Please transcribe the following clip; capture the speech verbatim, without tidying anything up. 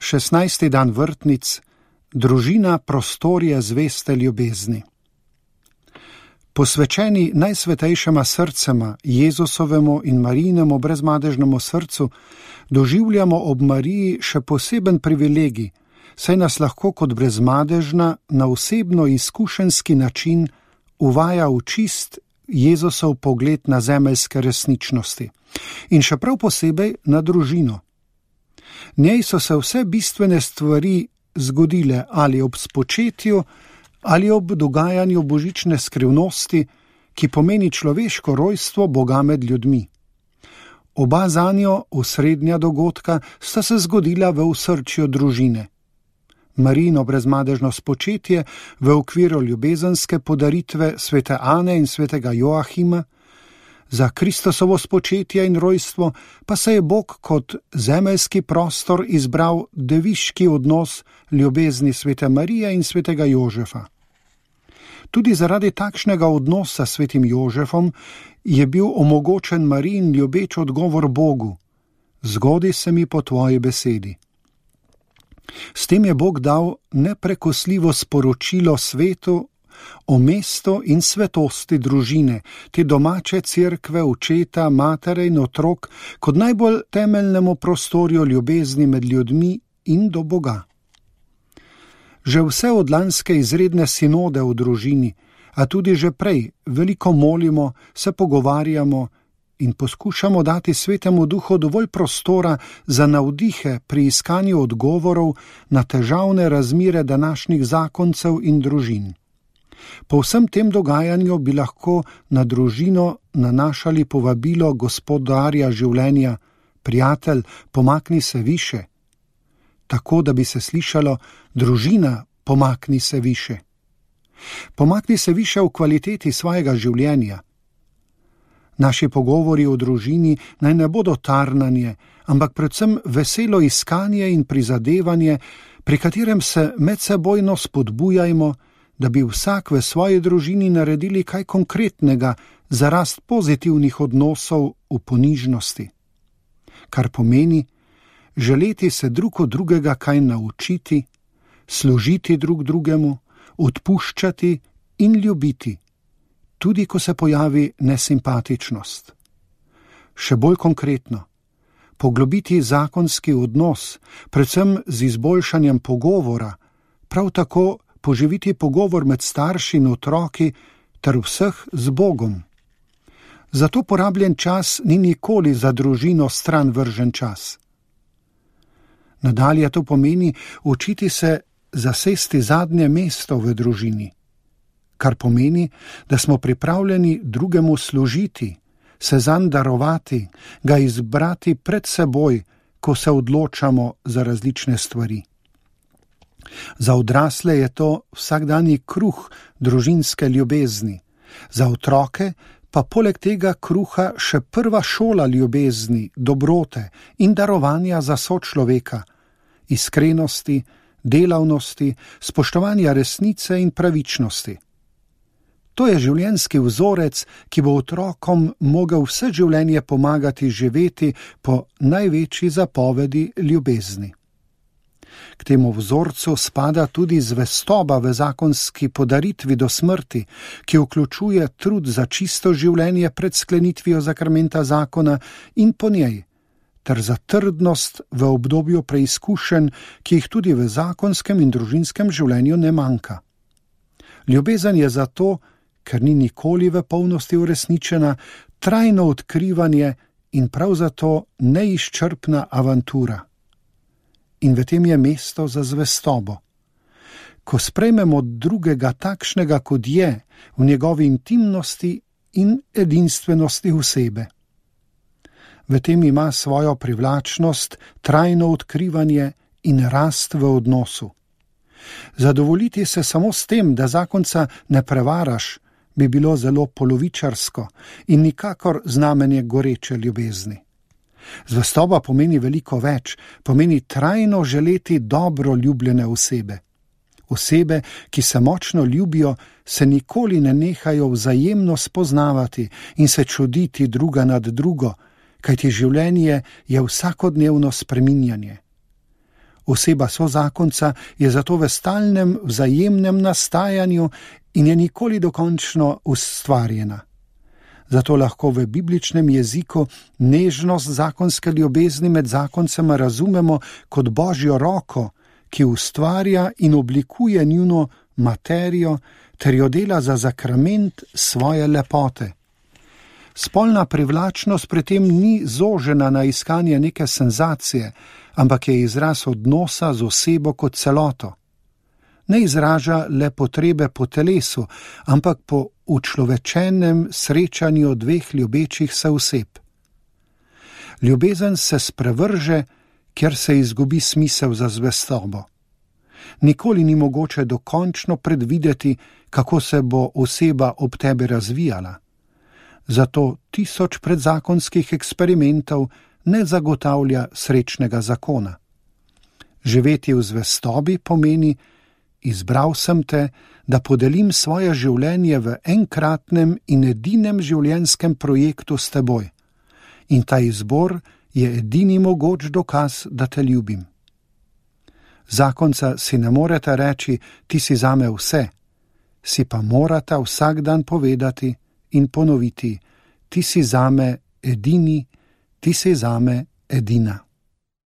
šestnajsti dan vrtnic, družina prostorje zveste ljubezni. Posvečeni najsvetejšema srcema, Jezusovemu in Marijinemu brezmadežnemu srcu, doživljamo ob Mariji še poseben privilegij, saj nas lahko kot brezmadežna na osebno izkušenski način uvaja v čist Jezusov pogled na zemeljske resničnosti in še prav posebej na družino. Njej so se vse bistvene stvari zgodile ali ob spočetju ali ob dogajanju božične skrivnosti, ki pomeni človeško rojstvo Boga med ljudmi. Oba zanjo osrednja dogodka sta se zgodila v osrčju družine. Marijino brezmadežno spočetje v okviru ljubezenske podaritve svete Ane in svetega Joahima, za Kristusovo spočetje in rojstvo pa se je Bog kot zemeljski prostor izbral deviški odnos ljubezni svete Marije in svetega Jožefa. Tudi zaradi takšnega odnosa s svetim Jožefom je bil omogočen Marijin ljubeč odgovor Bogu: zgodi se mi po tvoji besedi. S tem je Bog dal neprekosljivo sporočilo svetu o mestu in svetosti družine, te domače cerkve, očeta, matere in otrok, kot najbolj temeljnemu prostorju ljubezni med ljudmi in do Boga. Že vse od lanske izredne sinode v družini, a tudi že prej, veliko molimo, se pogovarjamo in poskušamo dati svetemu duhu dovolj prostora za navdihe pri iskanju odgovorov na težavne razmere današnjih zakoncev in družin. Po vsem tem dogajanju bi lahko na družino nanašali povabilo gospodarja življenja: prijatelj, pomakni se više. Tako, da bi se slišalo: družina, pomakni se više. Pomakni se više v kvaliteti svojega življenja. Naši pogovori o družini naj ne bodo tarnanje, ampak predvsem veselo iskanje in prizadevanje, pri katerem se medsebojno spodbujajmo, da bi vsak v svoji družini naredili kaj konkretnega za rast pozitivnih odnosov v ponižnosti. Kar pomeni želeti se drug od drugega kaj naučiti, služiti drug drugemu, odpuščati in ljubiti, tudi ko se pojavi nesimpatičnost. Še bolj konkretno, poglobiti zakonski odnos, predvsem z izboljšanjem pogovora, prav tako poživiti pogovor med starši in otroki ter vseh z Bogom. Zato porabljen čas ni nikoli za družino stran vržen čas. Nadalje to pomeni učiti se zasesti zadnje mesto v družini, kar pomeni, da smo pripravljeni drugemu služiti, se zanj darovati, ga izbrati pred seboj, ko se odločamo za različne stvari. Za odrasle je to vsakdanji kruh družinske ljubezni, za otroke pa poleg tega kruha še prva šola ljubezni, dobrote in darovanja za sočloveka, iskrenosti, delavnosti, spoštovanja resnice in pravičnosti. To je življenjski vzorec, ki bo otrokom mogel vse življenje pomagati živeti po največji zapovedi ljubezni. K temu vzorcu spada tudi zvestoba v zakonski podaritvi do smrti, ki vključuje trud za čisto življenje pred sklenitvijo zakramenta zakona in po njej, ter za trdnost v obdobju preizkušenj, ki jih tudi v zakonskem in družinskem življenju ne manjka. Ljubezen je zato, ker ni nikoli v polnosti uresničena, trajno odkrivanje in prav zato neizčrpna avantura. In v tem je mesto za zvestobo. Ko sprejmemo drugega takšnega, kot je, v njegovi intimnosti in edinstvenosti osebe. V tem ima svojo privlačnost, trajno odkrivanje in rast v odnosu. Zadovoljiti se samo s tem, da zakonca ne prevaraš, bi bilo zelo polovičarsko in nikakor znamenje goreče ljubezni. Zvestoba pomeni veliko več, pomeni trajno želeti dobro ljubljene osebe. Osebe, ki se močno ljubijo, se nikoli ne nehajo vzajemno spoznavati in se čuditi druga nad drugo, kajti življenje je vsakodnevno spreminjanje. Oseba sozakonca je zato v stalnem vzajemnem nastajanju in je nikoli dokončno ustvarjena. Zato lahko v bibličnem jeziku nežnost zakonske ljubezni med zakoncema razumemo kot Božjo roko, ki ustvarja in oblikuje njuno materijo ter jo dela za zakrament svoje lepote. Spolna privlačnost pri tem ni zožena na iskanje neke senzacije, ampak je izraz odnosa z osebo kot celoto. Ne izraža le potrebe po telesu, ampak po učlovečenem srečanju dveh ljubečih se oseb. Ljubezen se sprevrže, ker se izgubi smisel za zvestobo. Nikoli ni mogoče dokončno predvideti, kako se bo oseba ob tebi razvijala. Zato tisoč predzakonskih eksperimentov ne zagotavlja srečnega zakona. Živeti v zvestobi pomeni: izbral sem te, da podelim svoje življenje v enkratnem in edinem življenjskem projektu s teboj. In ta izbor je edini mogoč dokaz, da te ljubim. Zakonca si ne morete reči: ti si zame vse, si pa morata vsak dan povedati in ponoviti: ti si zame edini, ti si zame edina.